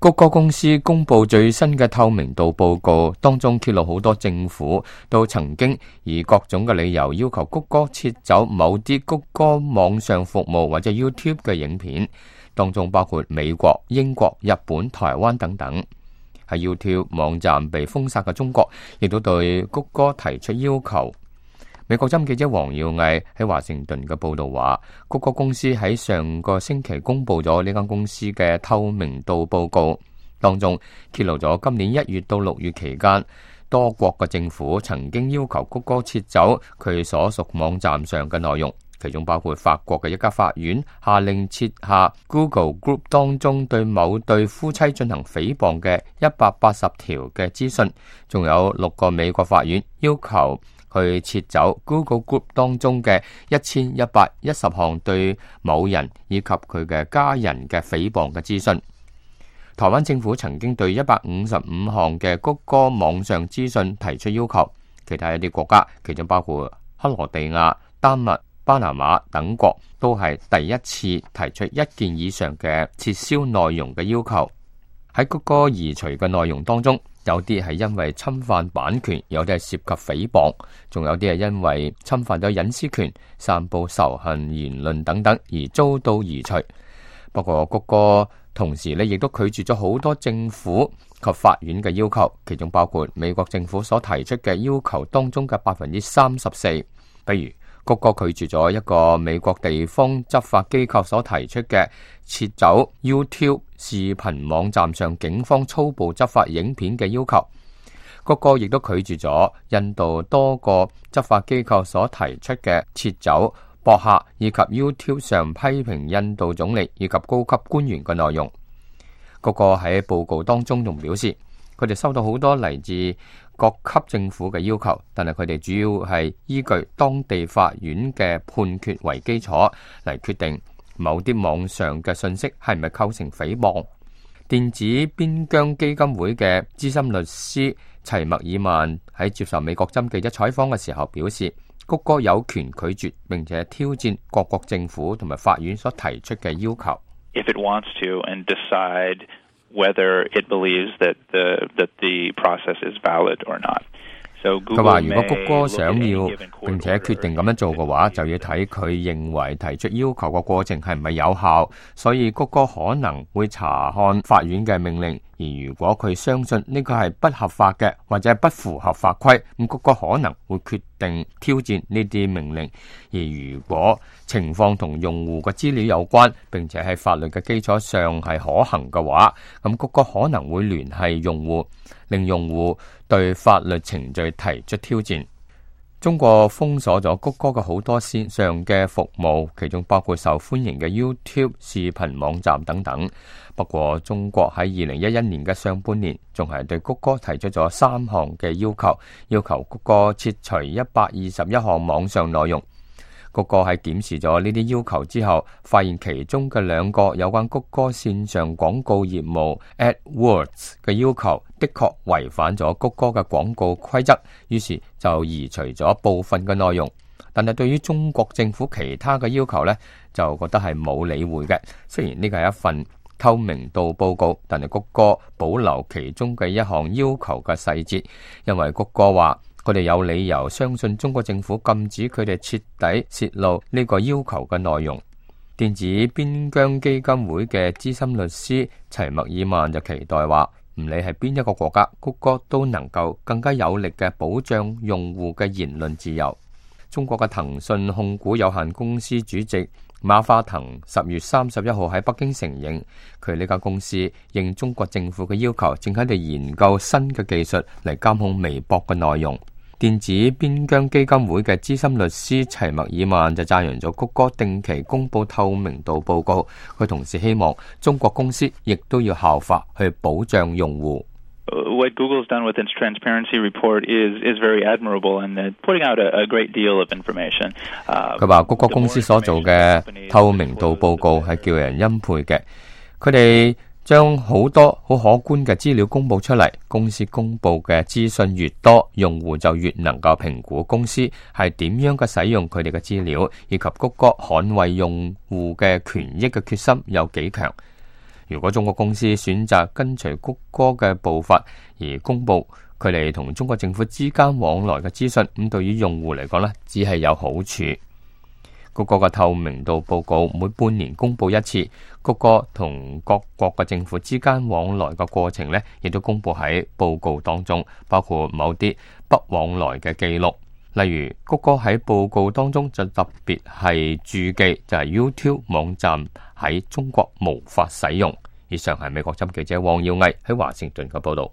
谷歌公司公布最新嘅透明度報告，當中揭露好多政府都曾經以各種嘅理由要求谷歌撤走某啲谷歌網上服務或者 YouTube 嘅影片，當中包括美國、英國、日本、台灣等等。喺 YouTube 網站被封殺嘅中國，亦都對谷歌提出要求。美國針記者黃耀毅喺華盛頓嘅報道話，谷歌公司喺上個星期公布咗呢間公司嘅透明度報告，當中揭露咗今年1月到6月期間，多國嘅政府曾經要求谷歌撤走佢所屬網站上嘅內容，其中包括法國嘅一家法院下令撤下 Google Group 當中對某對夫妻進行誹謗嘅180條嘅資訊，仲有6個美國法院要求去撤走 Google Group 當中嘅1110項對某人以及佢嘅家人嘅誹謗嘅資訊。台灣政府曾經對155項嘅谷歌網上資訊提出要求，其他一啲國家，其中包括克羅地亞、丹麥、巴拿馬等國，都係第一次提出1件以上嘅撤銷內容嘅要求。喺谷歌移除嘅內容當中，有啲係因為侵犯版權，有啲係涉及誹謗，仲有啲係因為侵犯咗隱私權、散布仇恨言論等等而遭到移除。不過谷歌同時亦都拒絕咗好多政府及法院嘅要求，其中包括美國政府所提出嘅要求當中嘅34%。比如谷歌拒絕咗一個美國地方執法機構所提出嘅撤走 YouTube 視頻網站上警方粗暴執法影片嘅要求。谷歌亦都拒絕咗印度多個執法機構所提出嘅撤走博客以及 YouTube 上批評印度總理以及高級官員嘅內容。谷歌喺報告當中仲表示，佢哋收到好多嚟自各級政府嘅要求，但係佢哋主要係依據當地法院嘅判決為基礎嚟決定某啲網上嘅信息係咪構成誹謗。電子邊疆基金會嘅資深律師齊默爾曼喺接受美國針記者採訪嘅時候表示，谷歌有權拒絕並且挑戰各國政府同埋法院所提出嘅要求。If it wants to and decide whether it believes that the process is valid or not. 佢話如果谷歌想要並且決定咁樣做嘅話，就要睇佢認為提出要求嘅過程係唔係有效，所以谷歌可能會查看法院嘅命令，而如果佢相信呢個係不合法嘅或者係不符合法規，咁谷歌可能會決定挑戰呢啲命令。而如果情況同用戶嘅資料有關，並且喺法律嘅基礎上係可行嘅話，咁谷歌可能會聯繫用戶，令用戶對法律程序提出挑戰。中國封鎖咗谷歌嘅好多線上嘅服務，其中包括受歡迎嘅 YouTube 視頻網站等等。不過中國喺2011年嘅上半年，仲係對谷歌提出咗3項嘅要求谷歌撤除121項網上內容。谷歌喺檢視咗呢啲要求之後，發現其中嘅2個有關谷歌線上廣告業務 AdWords 嘅要求，的確違反咗谷歌嘅廣告規則，於是就移除咗部分嘅內容。但係對於中國政府其他嘅要求呢，就覺得係冇理會嘅。雖然呢個係一份透明度報告，但係谷歌保留其中嘅一項要求嘅細節，因為谷歌話佢哋有理由相信中國政府禁止佢哋徹底洩露呢個要求嘅內容。電子邊疆基金會嘅資深律師齊默爾曼就期待話，唔理係邊一個國家，谷歌都能夠更加有力嘅保障用戶嘅言論自由。中國嘅騰訊控股有限公司主席馬化騰10月31號喺北京承認，佢呢間公司應中國政府嘅要求，正喺度研究新嘅技術嚟監控微博嘅內容。電子邊疆基金會嘅資深律師齊默爾曼就讚揚咗谷歌定期公布透明度報告，佢同時希望中國公司亦都要效法去保障用戶。What Google's done with its transparency report is very admirable and putting out a great deal of information. 佢話谷歌公司所做嘅透明度報告係叫人欽佩嘅，佢哋將好多好可觀嘅資料公布出嚟，公司公布嘅資訊越多，用戶就越能夠評估公司係點樣嘅使用佢哋嘅資料，以及谷歌捍衛用戶嘅權益嘅決心有幾強。如果中國公司選擇跟隨谷歌嘅步伐而公布佢哋同中國政府之間往來嘅資訊，咁對於用戶嚟講呢，只係有好處。谷歌嘅透明度報告每半年公布一次，谷歌同各國嘅政府之間往來嘅過程呢，亦都公布喺報告當中，包括某啲不往來嘅記錄。例如，谷歌喺報告當中就特別係注記，就係 YouTube 網站喺中國無法使用。以上係美國之音記者黃耀毅喺華盛頓嘅報道。